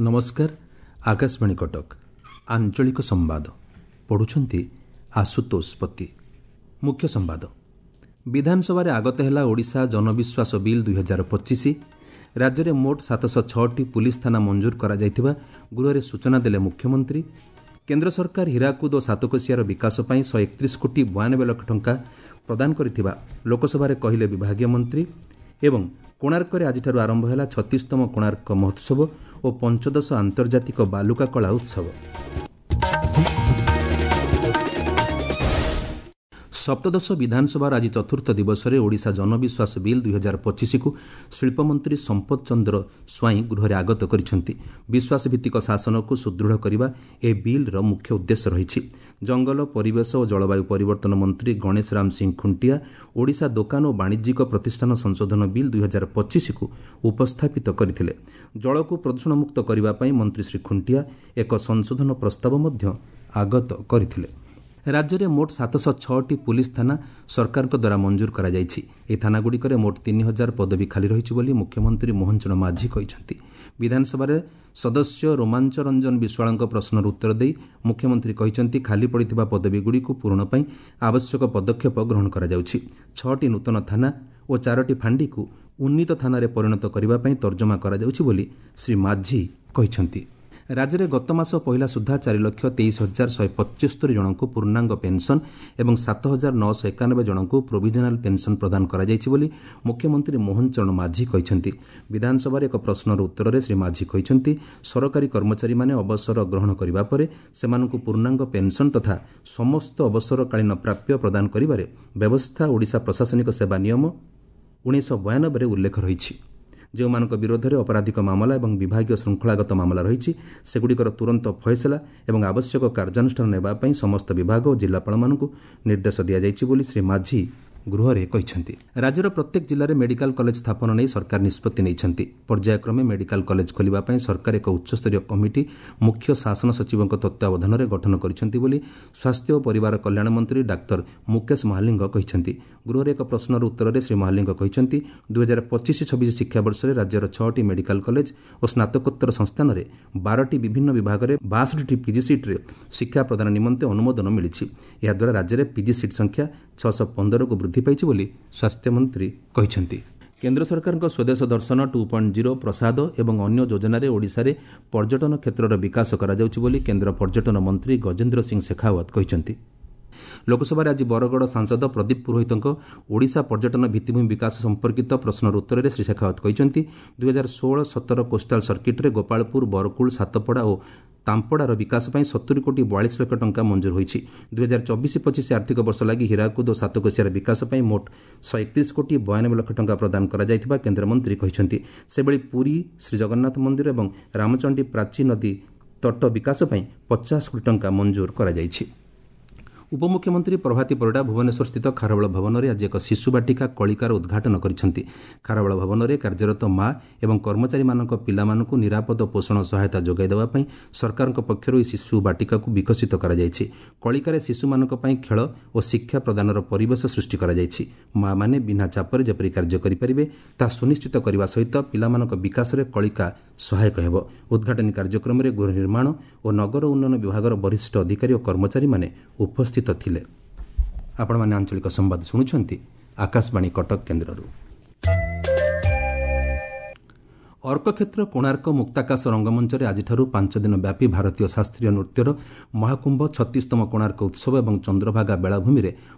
ନମସ୍କାର, ଆକାଶବାଣୀ କଟକ। ଆଞ୍ଚଳିକ ସମ୍ବାଦ ପଢ଼ୁଛନ୍ତି ଆଶୁତୋଷ ପତି। ମୁଖ୍ୟ ସମ୍ବାଦ। ବିଧାନସଭାରେ ଆଗତ ହେଲା ଓଡ଼ିଶା ଜନବିଶ୍ୱାସ ବିଲ୍ 2025। ରାଜ୍ୟରେ ମୋଟ 706ଟି ପୁଲିସ ଥାନା ମଞ୍ଜୁର କରାଯାଇଥିବା ଗୃହରେ ସୂଚନା ଦେଲେ ମୁଖ୍ୟମନ୍ତ୍ରୀ। କେନ୍ଦ୍ର ସରକାର ହୀରାକୁଦ ଓ ସାତକୋଶିଆର ବିକାଶ ପାଇଁ 131 କୋଟି 92 ଲକ୍ଷ ଟଙ୍କା ପ୍ରଦାନ କରିଥିବା ଲୋକସଭାରେ କହିଲେ ବିଭାଗୀୟ ମନ୍ତ୍ରୀ। ଏବଂ କୋଣାର୍କରେ ଆଜିଠାରୁ ଆରମ୍ଭ ହେଲା 36ତମ କୋଣାର୍କ ମହୋତ୍ସବ ଓ ପଞ୍ଚଦଶ ଆନ୍ତର୍ଜାତିକ ବାଲୁକା କଳା ଉତ୍ସବ। ସପ୍ତଦଶ ବିଧାନସଭାର ଆଜି ଚତୁର୍ଥ ଦିବସରେ ଓଡ଼ିଶା ଜନବିଶ୍ୱାସ ବିଲ୍ 2025କୁ ଶିଳ୍ପମନ୍ତ୍ରୀ ସମ୍ପଦ ଚନ୍ଦ୍ର ସ୍ୱାଇଁ ଗୃହରେ ଆଗତ କରିଛନ୍ତି। ବିଶ୍ୱାସଭିତ୍ତିକ ଶାସନକୁ ସୁଦୃଢ଼ କରିବା ଏ ବିଲ୍ର ମୁଖ୍ୟ ଉଦ୍ଦେଶ୍ୟ ରହିଛି। ଜଙ୍ଗଲ, ପରିବେଶ ଓ ଜଳବାୟୁ ପରିବର୍ତ୍ତନ ମନ୍ତ୍ରୀ ଗଣେଶ ରାମ ସିଂ ଖୁଣ୍ଟିଆ ଓଡ଼ିଶା ଦୋକାନ ଓ ବାଣିଜ୍ୟିକ ପ୍ରତିଷ୍ଠାନ ସଂଶୋଧନ ବିଲ୍ 2025କୁ ଉପସ୍ଥାପିତ କରିଥିଲେ। ଜଳକୁ ପ୍ରଦୂଷଣମୁକ୍ତ କରିବା ପାଇଁ ମନ୍ତ୍ରୀ ଶ୍ରୀ ଖୁଣ୍ଟିଆ ଏକ ସଂଶୋଧନ ପ୍ରସ୍ତାବ ମଧ୍ୟ ଆଗତ କରିଥିଲେ। ରାଜ୍ୟରେ ମୋଟ 706ଟି ପୁଲିସ ଥାନା ସରକାରଙ୍କ ଦ୍ୱାରା ମଞ୍ଜୁର କରାଯାଇଛି। ଏହି ଥାନାଗୁଡ଼ିକରେ ମୋଟ 3000 ପଦବୀ ଖାଲି ରହିଛି ବୋଲି ମୁଖ୍ୟମନ୍ତ୍ରୀ ମୋହନ ଚରଣ ମାଝୀ କହିଛନ୍ତି। ବିଧାନସଭାରେ ସଦସ୍ୟ ରୋମାଞ୍ଚ ରଞ୍ଜନ ବିଶ୍ୱାଳଙ୍କ ପ୍ରଶ୍ନର ଉତ୍ତର ଦେଇ ମୁଖ୍ୟମନ୍ତ୍ରୀ କହିଛନ୍ତି, ଖାଲି ପଡ଼ିଥିବା ପଦବୀଗୁଡ଼ିକୁ ପୂରଣ ପାଇଁ ଆବଶ୍ୟକ ପଦକ୍ଷେପ ଗ୍ରହଣ କରାଯାଉଛି। 6ଟି ନୂତନ ଥାନା ଓ 4ଟି ଫାଣ୍ଡିକୁ ଉନ୍ନୀତ ଥାନାରେ ପରିଣତ କରିବା ପାଇଁ ତର୍ଜମା କରାଯାଉଛି ବୋଲି ଶ୍ରୀ ମାଝୀ କହିଛନ୍ତି। ରାଜ୍ୟରେ ଗତ ମାସ ପହିଲା ସୁଦ୍ଧା 4,23,175 ଜଣଙ୍କୁ ପୂର୍ଣ୍ଣାଙ୍ଗ ପେନ୍ସନ୍ ଏବଂ 7,991 ଜଣଙ୍କୁ ପ୍ରୋଭିଜନାଲ୍ ପେନ୍ସନ୍ ପ୍ରଦାନ କରାଯାଇଛି ବୋଲି ମୁଖ୍ୟମନ୍ତ୍ରୀ ମୋହନ ଚରଣ ମାଝୀ କହିଛନ୍ତି। ବିଧାନସଭାରେ ଏକ ପ୍ରଶ୍ନର ଉତ୍ତରରେ ଶ୍ରୀ ମାଝୀ କହିଛନ୍ତି, ସରକାରୀ କର୍ମଚାରୀମାନେ ଅବସର ଗ୍ରହଣ କରିବା ପରେ ସେମାନଙ୍କୁ ପୂର୍ଣ୍ଣାଙ୍ଗ ପେନ୍ସନ୍ ତଥା ସମସ୍ତ ଅବସରକାଳୀନ ପ୍ରାପ୍ୟ ପ୍ରଦାନ କରିବାରେ ବ୍ୟବସ୍ଥା ଓଡ଼ିଶା ପ୍ରଶାସନିକ ସେବା ନିୟମ 1992ରେ ଉଲ୍ଲେଖ ରହିଛି। ଯେଉଁମାନଙ୍କ ବିରୋଧରେ ଅପରାଧିକ ମାମଲା ଏବଂ ବିଭାଗୀୟ ଶୃଙ୍ଖଳାଗତ ମାମଲା ରହିଛି, ସେଗୁଡ଼ିକର ତୁରନ୍ତ ଫଏସଲା ଏବଂ ଆବଶ୍ୟକ କାର୍ଯ୍ୟାନୁଷ୍ଠାନ ନେବା ପାଇଁ ସମସ୍ତ ବିଭାଗ ଓ ଜିଲ୍ଲାପାଳମାନଙ୍କୁ ନିର୍ଦ୍ଦେଶ ଦିଆଯାଇଛି ବୋଲି ଶ୍ରୀ ମାଝୀ ଗୃହରେ କହିଛନ୍ତି। ରାଜ୍ୟର ପ୍ରତ୍ୟେକ ଜିଲ୍ଲାରେ ମେଡିକାଲ କଲେଜ ସ୍ଥାପନ ନେଇ ସରକାର ନିଷ୍ପତ୍ତି ନେଇଛନ୍ତି। ପର୍ଯ୍ୟାୟକ୍ରମେ ମେଡିକାଲ କଲେଜ ଖୋଲିବା ପାଇଁ ସରକାର ଏକ ଉଚ୍ଚସ୍ତରୀୟ କମିଟି ମୁଖ୍ୟ ଶାସନ ସଚିବଙ୍କ ତତ୍ତ୍ୱାବଧାନରେ ଗଠନ କରିଛନ୍ତି ବୋଲି ସ୍ୱାସ୍ଥ୍ୟ ଓ ପରିବାର କଲ୍ୟାଣ ମନ୍ତ୍ରୀ ଡାକ୍ତର ମୁକେଶ ମହାଲିଙ୍ଗ କହିଛନ୍ତି। ଗୃହରେ ଏକ ପ୍ରଶ୍ନର ଉତ୍ତରରେ ଶ୍ରୀ ମହାଲିଙ୍ଗ କହିଛନ୍ତି, 2025-26 ଶିକ୍ଷାବର୍ଷରେ ରାଜ୍ୟର 6ଟି ମେଡିକାଲ କଲେଜ ଓ ସ୍ନାତକୋତ୍ତର ସଂସ୍ଥାନରେ 12ଟି ବିଭିନ୍ନ ବିଭାଗରେ 62ଟି ପିଜି ସିଟ୍ରେ ଶିକ୍ଷା ପ୍ରଦାନ ନିମନ୍ତେ ଅନୁମୋଦନ ମିଳିଛି। ଏହାଦ୍ୱାରା ରାଜ୍ୟରେ ପିଜି ସିଟ୍ ସଂଖ୍ୟା 615କୁ ବୃଦ୍ଧି ପାଇଛି ବୋଲି ସ୍ୱାସ୍ଥ୍ୟମନ୍ତ୍ରୀ କହିଛନ୍ତି। କେନ୍ଦ୍ର ସରକାରଙ୍କ ସ୍ୱଦେଶ ଦର୍ଶନ 2.0, ପ୍ରସାଦ ଏବଂ ଅନ୍ୟ ଯୋଜନାରେ ଓଡ଼ିଶାରେ ପର୍ଯ୍ୟଟନ କ୍ଷେତ୍ରର ବିକାଶ କରାଯାଉଛି ବୋଲି କେନ୍ଦ୍ର ପର୍ଯ୍ୟଟନ ମନ୍ତ୍ରୀ ଗଜେନ୍ଦ୍ର ସିଂ ଶେଖାଓ୍ୱତ କହିଛନ୍ତି। ଲୋକସଭାରେ ଆଜି ବରଗଡ଼ ସାଂସଦ ପ୍ରଦୀପ ପୁରୋହିତଙ୍କ ଓଡ଼ିଶା ପର୍ଯ୍ୟଟନ ଭିତ୍ତିଭୂମି ବିକାଶ ସମ୍ପର୍କିତ ପ୍ରଶ୍ନର ଉତ୍ତରରେ ଶ୍ରୀ ଶେଖାଓ୍ୱତ କହିଛନ୍ତି, 2016-17 କୋଷ୍ଟାଲ ସର୍କିଟ୍ରେ ଗୋପାଳପୁର, ବରକୁଳ, ସାତପଡ଼ା ଓ ତାମ୍ପଡ଼ାର ବିକାଶ ପାଇଁ 70 କୋଟି 42 ଲକ୍ଷ ଟଙ୍କା ମଞ୍ଜୁର ହୋଇଛି। 2024-25 ଆର୍ଥିକ ବର୍ଷ ଲାଗି ହୀରାକୁଦ ଓ ସାତକୋଶିଆର ବିକାଶ ପାଇଁ ମୋଟ 131 କୋଟି 92 ଲକ୍ଷ ଟଙ୍କା ପ୍ରଦାନ କରାଯାଇଥିବା କେନ୍ଦ୍ରମନ୍ତ୍ରୀ କହିଛନ୍ତି। ସେଭଳି ପୁରୀ ଶ୍ରୀଜଗନ୍ନାଥ ମନ୍ଦିର ଏବଂ ରାମଚଣ୍ଡୀ ପ୍ରାଚୀ ନଦୀ ତଟ ବିକାଶ ପାଇଁ 50 କୋଟି ଟଙ୍କା ମଞ୍ଜୁର କରାଯାଇଛି। ଉପମୁଖ୍ୟମନ୍ତ୍ରୀ ପ୍ରଭାତୀ ପରିଡ଼ା ଭୁବନେଶ୍ୱରସ୍ଥିତ ଖାରବେଳ ଭବନରେ ଆଜି ଏକ ଶିଶୁ ବାଟିକା କଳିକାର ଉଦ୍ଘାଟନ କରିଛନ୍ତି। ଖାରବେଳ ଭବନରେ କାର୍ଯ୍ୟରତ ମା ଏବଂ କର୍ମଚାରୀମାନଙ୍କ ପିଲାମାନଙ୍କୁ ନିରାପଦ ପୋଷଣ ସହାୟତା ଯୋଗାଇ ଦେବା ପାଇଁ ସରକାରଙ୍କ ପକ୍ଷରୁ ଏହି ଶିଶୁ ବାଟିକାକୁ ବିକଶିତ କରାଯାଇଛି। କଳିକାରେ ଶିଶୁମାନଙ୍କ ପାଇଁ ଖେଳ ଓ ଶିକ୍ଷା ପ୍ରଦାନର ପରିବେଶ ସୃଷ୍ଟି କରାଯାଇଛି। ମା'ମାନେ ବିନା ଚାପରେ ଯେପରି କାର୍ଯ୍ୟ କରିପାରିବେ ତାହା ସୁନିଶ୍ଚିତ କରିବା ସହିତ ପିଲାମାନଙ୍କ ବିକାଶରେ କଳିକା ସହାୟକ ହେବ। ଉଦ୍ଘାଟନୀ କାର୍ଯ୍ୟକ୍ରମରେ ଗୃହ ନିର୍ମାଣ ଓ ନଗର ଉନ୍ନୟନ ବିଭାଗର ବରିଷ୍ଠ ଅଧିକାରୀ ଓ କର୍ମଚାରୀମାନେ ଉପସ୍ଥିତ ଥିଲେ। ଆପଣମାନେ ଆଞ୍ଚଳିକ ସମ୍ବାଦ ଶୁଣୁଛନ୍ତି ଆକାଶବାଣୀ କଟକ କେନ୍ଦ୍ରରୁ। ଅର୍କକ୍ଷେତ୍ର କୋଣାର୍କ ମୁକ୍ତାକାଶ ରଙ୍ଗମଞ୍ଚରେ ଆଜିଠାରୁ 5 ଦିନ ବ୍ୟାପୀ ଭାରତୀୟ ଶାସ୍ତ୍ରୀୟ ନୃତ୍ୟର ମହାକୁମ୍ଭ 36ତମ କୋଣାର୍କ ଉତ୍ସବ ଏବଂ ଚନ୍ଦ୍ରଭାଗା ବେଳାଭୂମିରେ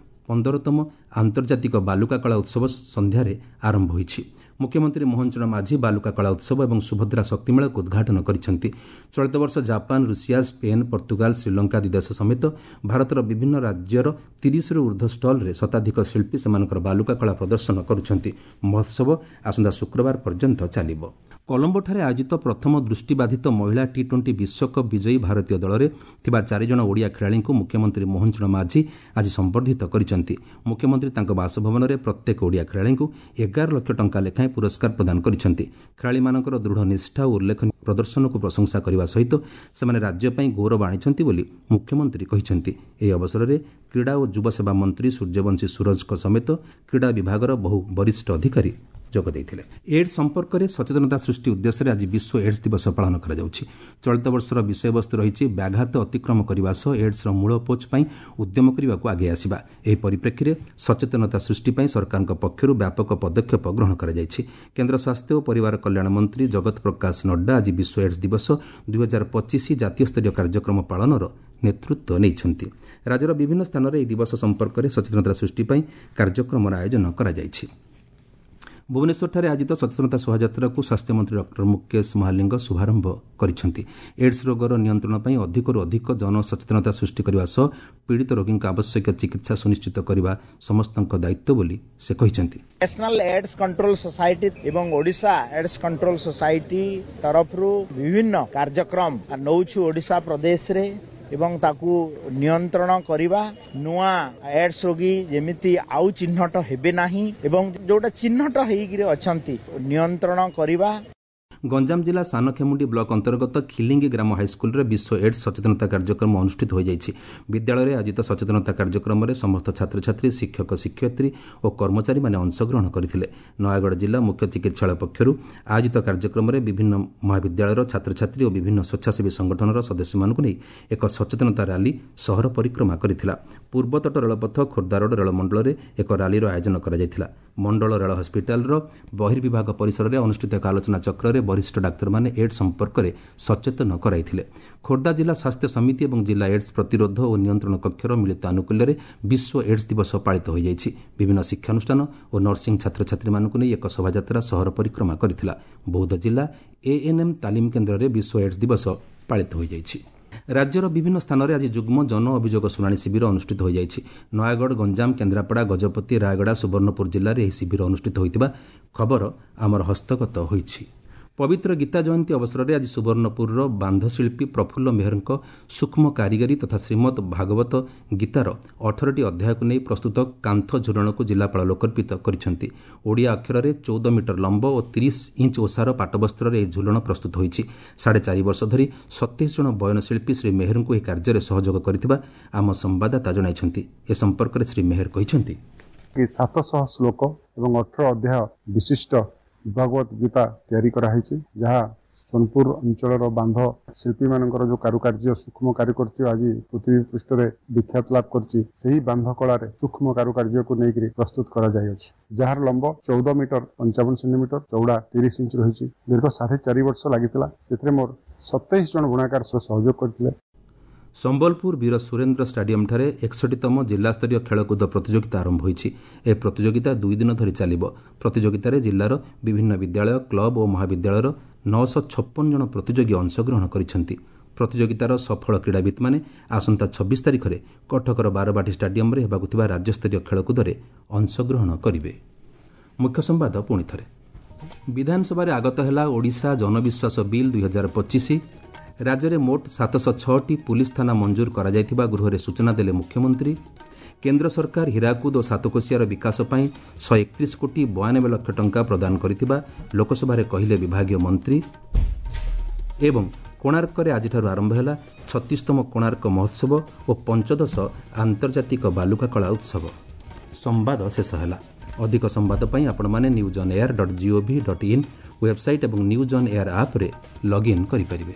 15ତମ ଆନ୍ତର୍ଜାତିକ ବାଲୁକା କଳା ଉତ୍ସବ ସନ୍ଧ୍ୟାରେ ଆରମ୍ଭ ହୋଇଛି। ମୁଖ୍ୟମନ୍ତ୍ରୀ ମୋହନ ଚରଣ ମାଝୀ ବାଲୁକା କଳା ଉତ୍ସବ ଏବଂ ସୁଭଦ୍ରା ଶକ୍ତିମେଳାକୁ ଉଦ୍ଘାଟନ କରିଛନ୍ତି। ଚଳିତ ବର୍ଷ Japan, Russia, Spain, Portugal, Sri Lanka ଆଦି ଦେଶ ସମେତ ଭାରତର ବିଭିନ୍ନ ରାଜ୍ୟର 30ରୁ ଉର୍ଦ୍ଧ୍ୱ ଷ୍ଟଲ୍ରେ ଶତାଧିକ ଶିଳ୍ପୀ ସେମାନଙ୍କର ବାଲୁକା କଳା ପ୍ରଦର୍ଶନ କରୁଛନ୍ତି। ମହୋତ୍ସବ ଆସନ୍ତା ଶୁକ୍ରବାର ପର୍ଯ୍ୟନ୍ତ ଚାଲିବ। କଲମ୍ବୋଠାରେ ଆୟୋଜିତ ପ୍ରଥମ ଦୃଷ୍ଟିବାଧିତ ମହିଳା ଟି-20 ବିଶ୍ୱକପ୍ ବିଜୟୀ ଭାରତୀୟ ଦଳରେ ଥିବା 4 ଜଣ ଓଡ଼ିଆ ଖେଳାଳିଙ୍କୁ ମୁଖ୍ୟମନ୍ତ୍ରୀ ମୋହନ ଚରଣ ମାଝୀ ଆଜି ସମ୍ବର୍ଦ୍ଧିତ କରିଛନ୍ତି। ମୁଖ୍ୟମନ୍ତ୍ରୀ ତାଙ୍କ ବାସଭବନରେ ପ୍ରତ୍ୟେକ ଓଡ଼ିଆ ଖେଳାଳିଙ୍କୁ 11 ଲକ୍ଷ ଟଙ୍କା ଲେଖାଏଁ ପୁରସ୍କାର ପ୍ରଦାନ କରିଛନ୍ତି। ଖେଳାଳିମାନଙ୍କର ଦୃଢ଼ ନିଷ୍ଠା ଓ ଉଲ୍ଲେଖନୀୟ ପ୍ରଦର୍ଶନକୁ ପ୍ରଶଂସା କରିବା ସହିତ ସେମାନେ ରାଜ୍ୟ ପାଇଁ ଗୌରବ ଆଣିଛନ୍ତି ବୋଲି ମୁଖ୍ୟମନ୍ତ୍ରୀ କହିଛନ୍ତି। ଏହି ଅବସରରେ କ୍ରୀଡ଼ା ଓ ଯୁବସେବା ମନ୍ତ୍ରୀ ସୂର୍ଯ୍ୟବଂଶୀ ସୂରଜଙ୍କ ସମେତ କ୍ରୀଡ଼ା ବିଭାଗର ବହୁ ବରିଷ୍ଠ ଅଧିକାରୀ ଯୋଗ ଦେଇଥିଲେ। ଏଡ୍ସ ସମ୍ପର୍କରେ ସଚେତନତା ସୃଷ୍ଟି ଉଦ୍ଦେଶ୍ୟରେ ଆଜି ବିଶ୍ୱ ଏଡ୍ସ ଦିବସ ପାଳନ କରାଯାଉଛି। ଚଳିତ ବର୍ଷର ବିଷୟବସ୍ତୁ ରହିଛି ବ୍ୟାଘାତ ଅତିକ୍ରମ କରିବା ସହ ଏଡ୍ସର ମୂଳପୋଛ ପାଇଁ ଉଦ୍ୟମ କରିବାକୁ ଆଗେଇ ଆସିବା। ଏହି ପରିପ୍ରେକ୍ଷୀରେ ସଚେତନତା ସୃଷ୍ଟି ପାଇଁ ସରକାରଙ୍କ ପକ୍ଷରୁ ବ୍ୟାପକ ପଦକ୍ଷେପ ଗ୍ରହଣ କରାଯାଇଛି। କେନ୍ଦ୍ର ସ୍ୱାସ୍ଥ୍ୟ ଓ ପରିବାର କଲ୍ୟାଣ ମନ୍ତ୍ରୀ ଜଗତ ପ୍ରକାଶ ନଡ୍ଡା ଆଜି ବିଶ୍ୱ ଏଡ୍ସ ଦିବସ 2025 ଜାତୀୟ ସ୍ତରୀୟ କାର୍ଯ୍ୟକ୍ରମ ପାଳନର ନେତୃତ୍ୱ ନେଇଛନ୍ତି। ରାଜ୍ୟର ବିଭିନ୍ନ ସ୍ଥାନରେ ଏହି ଦିବସ ସମ୍ପର୍କରେ ସଚେତନତା ସୃଷ୍ଟି ପାଇଁ କାର୍ଯ୍ୟକ୍ରମର ଆୟୋଜନ କରାଯାଇଛି। ଭୁବନେଶ୍ୱରଠାରେ ଆୟୋଜିତ ସଚେତନତା ଶୋଭାଯାତ୍ରାକୁ ସ୍ୱାସ୍ଥ୍ୟମନ୍ତ୍ରୀ ଡକ୍ଟର ମୁକେଶ ମହାଲିଙ୍ଗ ଶୁଭାରମ୍ଭ କରିଛନ୍ତି। ଏଡ୍ସ ରୋଗର ନିୟନ୍ତ୍ରଣ ପାଇଁ ଅଧିକରୁ ଅଧିକ ଜନସଚେତନତା ସୃଷ୍ଟି କରିବା ସହ ପୀଡ଼ିତ ରୋଗୀଙ୍କ ଆବଶ୍ୟକୀୟ ଚିକିତ୍ସା ସୁନିଶ୍ଚିତ କରିବା ସମସ୍ତଙ୍କ ଦାୟିତ୍ୱ ବୋଲି ସେ କହିଛନ୍ତି। ନ୍ୟାସନାଲ ଏଡ୍ସ କଣ୍ଟ୍ରୋଲ ସୋସାଇଟି ଏବଂ ଓଡ଼ିଶା ଏଡ୍ସ କଣ୍ଟ୍ରୋଲ ସୋସାଇଟି ତରଫରୁ ବିଭିନ୍ନ କାର୍ଯ୍ୟକ୍ରମ ନେଉଛୁ ଓଡ଼ିଶା ପ୍ରଦେଶରେ ଏବଂ ତାକୁ ନିୟନ୍ତ୍ରଣ କରିବା, ନୂଆ ଏଡ୍ସ ରୋଗୀ ଯେମିତି ଆଉ ଚିହ୍ନଟ ହେବେ ନାହିଁ ଏବଂ ଯୋଉଟା ଚିହ୍ନଟ ହେଇକିରି ଅଛନ୍ତି ନିୟନ୍ତ୍ରଣ କରିବା। ଗଞ୍ଜାମ ଜିଲ୍ଲା ସାନଖେମୁଣ୍ଡି ବ୍ଲକ ଅନ୍ତର୍ଗତ ଖିଲିଙ୍ଗି ଗ୍ରାମ ହାଇସ୍କୁଲରେ ବିଶ୍ୱ ଏଡ୍ସ ସଚେତନତା କାର୍ଯ୍ୟକ୍ରମ ଅନୁଷ୍ଠିତ ହୋଇଯାଇଛି। ବିଦ୍ୟାଳୟରେ ଆୟୋଜିତ ସଚେତନତା କାର୍ଯ୍ୟକ୍ରମରେ ସମସ୍ତ ଛାତ୍ରଛାତ୍ରୀ, ଶିକ୍ଷକ, ଶିକ୍ଷୟିତ୍ରୀ ଓ କର୍ମଚାରୀମାନେ ଅଂଶଗ୍ରହଣ କରିଥିଲେ। ନୟାଗଡ଼ ଜିଲ୍ଲା ମୁଖ୍ୟ ଚିକିତ୍ସାଳୟ ପକ୍ଷରୁ ଆୟୋଜିତ କାର୍ଯ୍ୟକ୍ରମରେ ବିଭିନ୍ନ ମହାବିଦ୍ୟାଳୟର ଛାତ୍ରଛାତ୍ରୀ ଓ ବିଭିନ୍ନ ସ୍ୱେଚ୍ଛାସେବୀ ସଂଗଠନର ସଦସ୍ୟମାନଙ୍କୁ ନେଇ ଏକ ସଚେତନତା ରାଲି ସହର ପରିକ୍ରମା କରିଥିଲା। ପୂର୍ବତଟ ରେଳପଥ ଖୋର୍ଦ୍ଧାରୋଡ ରେଳମଣ୍ଡଳରେ ଏକ ରାଲିର ଆୟୋଜନ କରାଯାଇଥିଲା। ମଣ୍ଡଳ ରେଳ ହସ୍ପିଟାଲର ବହିର୍ବିଭାଗ ପରିସରରେ ଅନୁଷ୍ଠିତ ଏକ ଆଲୋଚନା ଚକ୍ରରେ ବରିଷ୍ଠ ଡାକ୍ତରମାନେ ଏଡ୍ସ ସମ୍ପର୍କରେ ସଚେତନ କରାଇଥିଲେ। ଖୋର୍ଦ୍ଧା ଜିଲ୍ଲା ସ୍ୱାସ୍ଥ୍ୟ ସମିତି ଏବଂ ଜିଲ୍ଲା ଏଡ୍ସ ପ୍ରତିରୋଧ ଓ ନିୟନ୍ତ୍ରଣ କକ୍ଷର ମିଳିତ ଆନୁକୂଲ୍ୟରେ ବିଶ୍ୱ ଏଡ୍ସ ଦିବସ ପାଳିତ ହୋଇଯାଇଛି। ବିଭିନ୍ନ ଶିକ୍ଷାନୁଷ୍ଠାନ ଓ ନର୍ସିଂ ଛାତ୍ରଛାତ୍ରୀମାନଙ୍କୁ ନେଇ ଏକ ଶୋଭାଯାତ୍ରା ସହର ପରିକ୍ରମା କରିଥିଲା। ବୌଦ୍ଧ ଜିଲ୍ଲା ଏଏନ୍ଏମ୍ ତାଲିମ କେନ୍ଦ୍ରରେ ବିଶ୍ୱ ଏଡ୍ସ ଦିବସ ପାଳିତ ହୋଇଯାଇଛି। ରାଜ୍ୟର ବିଭିନ୍ନ ସ୍ଥାନରେ ଆଜି ଯୁଗ୍ମ ଜନ ଅଭିଯୋଗ ଶୁଣାଣି ଶିବିର ଅନୁଷ୍ଠିତ ହୋଇଯାଇଛି। ନୟାଗଡ଼, ଗଞ୍ଜାମ, କେନ୍ଦ୍ରାପଡ଼ା, ଗଜପତି, ରାୟଗଡ଼ା, ସୁବର୍ଣ୍ଣପୁର ଜିଲ୍ଲାରେ ଏହି ଶିବିର ଅନୁଷ୍ଠିତ ହୋଇଥିବା ଖବର ଆମର ହସ୍ତଗତ ହୋଇଛି। ପବିତ୍ର ଗୀତା ଜୟନ୍ତୀ ଅବସରରେ ଆଜି ସୁବର୍ଣ୍ଣପୁରର ବାନ୍ଧଶିଳ୍ପୀ ପ୍ରଫୁଲ୍ଲ ମେହେରଙ୍କ ସୂକ୍ଷ୍ମ କାରିଗରୀ ତଥା ଶ୍ରୀମଦ୍ ଭାଗବତ ଗୀତାର 18ଟି ଅଧ୍ୟାୟକୁ ନେଇ ପ୍ରସ୍ତୁତ କାନ୍ଥ ଝୁଲଣକୁ ଜିଲ୍ଲାପାଳ ଲୋକାର୍ପିତ କରିଛନ୍ତି। ଓଡ଼ିଆ ଅକ୍ଷରରେ 14 ମିଟର ଲମ୍ବ ଓ 30 ଇଞ୍ଚ ଓସାର ପାଟବସ୍ତ୍ରରେ ଏହି ଝୁଲଣ ପ୍ରସ୍ତୁତ ହୋଇଛି। 4.5 ବର୍ଷ ଧରି 27 ଜଣ ବୟନଶିଳ୍ପୀ ଶ୍ରୀ ମେହେରଙ୍କୁ ଏହି କାର୍ଯ୍ୟରେ ସହଯୋଗ କରିଥିବା ଆମ ସମ୍ବାଦଦାତା ଜଣାଇଛନ୍ତି। ଏ ସମ୍ପର୍କରେ ଶ୍ରୀ ମେହେର କହିଛନ୍ତି, 700 ଶ୍ଲୋକ ଏବଂ 18 ଅଧ୍ୟାୟ ବିଶିଷ୍ଟ ଭଗବତ ଗୀତା ତିଆରି କରାହେଇଛି, ଯାହା ସୋନପୁର ଅଞ୍ଚଳର ବାନ୍ଧ ଶିଳ୍ପୀମାନଙ୍କର ଯେଉଁ କାରୁକାର୍ଯ୍ୟ, ସୂକ୍ଷ୍ମ କାରୁକାର୍ଯ୍ୟ ଆଜି ପୃଥିବୀ ପୃଷ୍ଠରେ ବିଖ୍ୟାତ ଲାଭ କରିଛି, ସେହି ବାନ୍ଧ କଳାରେ ସୂକ୍ଷ୍ମ କାରୁକାର୍ଯ୍ୟକୁ ନେଇକରି ପ୍ରସ୍ତୁତ କରାଯାଇଅଛି, ଯାହାର ଲମ୍ବ 14 ମିଟର 55 ସେଣ୍ଟିମିଟର, ଚଉଡ଼ା 30 ଇଞ୍ଚ ରହିଛି। ଦୀର୍ଘ 4.5 ବର୍ଷ ଲାଗିଥିଲା। ସେଥିରେ ମୋର 27 ଜଣ ବୁଣାକାର ସହଯୋଗ କରିଥିଲେ। ସମ୍ବଲପୁର ବୀର ସୁରେନ୍ଦ୍ର ଷ୍ଟାଡିୟମ୍ଠାରେ 61ତମ ଜିଲ୍ଲାସ୍ତରୀୟ ଖେଳକୁଦ ପ୍ରତିଯୋଗିତା ଆରମ୍ଭ ହୋଇଛି। ଏହି ପ୍ରତିଯୋଗିତା 2 ଦିନ ଧରି ଚାଲିବ। ପ୍ରତିଯୋଗିତାରେ ଜିଲ୍ଲାର ବିଭିନ୍ନ ବିଦ୍ୟାଳୟ, କ୍ଲବ ଓ ମହାବିଦ୍ୟାଳୟର 956 ଜଣ ପ୍ରତିଯୋଗୀ ଅଂଶଗ୍ରହଣ କରିଛନ୍ତି। ପ୍ରତିଯୋଗିତାର ସଫଳ କ୍ରୀଡ଼ାବିତ୍ମାନେ ଆସନ୍ତା 26 ତାରିଖରେ କଟକର ବାରବାଟୀ ଷ୍ଟାଡିୟମ୍ରେ ହେବାକୁ ଥିବା ରାଜ୍ୟସ୍ତରୀୟ ଖେଳକୁଦରେ ଅଂଶଗ୍ରହଣ କରିବେ। ମୁଖ୍ୟ ସମ୍ବାଦ ପୁଣି ଥରେ। ବିଧାନସଭାରେ ଆଗତ ହେଲା ଓଡ଼ିଶା ଜନବିଶ୍ୱାସ ବିଲ୍ 2025। ରାଜ୍ୟରେ ମୋଟ 706ଟି ପୁଲିସ ଥାନା ମଞ୍ଜୁର କରାଯାଇଥିବା ଗୃହରେ ସୂଚନା ଦେଲେ ମୁଖ୍ୟମନ୍ତ୍ରୀ। କେନ୍ଦ୍ର ସରକାର ହୀରାକୁଦ ଓ ସାତକୋଶିଆର ବିକାଶ ପାଇଁ 131 କୋଟି 92 ଲକ୍ଷ ଟଙ୍କା ପ୍ରଦାନ କରିଥିବା ଲୋକସଭାରେ କହିଲେ ବିଭାଗୀୟ ମନ୍ତ୍ରୀ। ଏବଂ କୋଣାର୍କରେ ଆଜିଠାରୁ ଆରମ୍ଭ ହେଲା 36ତମ କୋଣାର୍କ ମହୋତ୍ସବ ଓ ପଞ୍ଚଦଶ ଆନ୍ତର୍ଜାତିକ ବାଲୁକା କଳା ଉତ୍ସବ। ସମ୍ବାଦ ଶେଷ ହେଲା। ଅଧିକ ସମ୍ବାଦ ପାଇଁ ଆପଣମାନେ news on air dot gov dot in website ଏବଂ ନ୍ୟୁଜ୍ ଅନ୍ ଏୟାର ଆପ୍ରେ ଲଗ୍ଇନ୍ କରିପାରିବେ।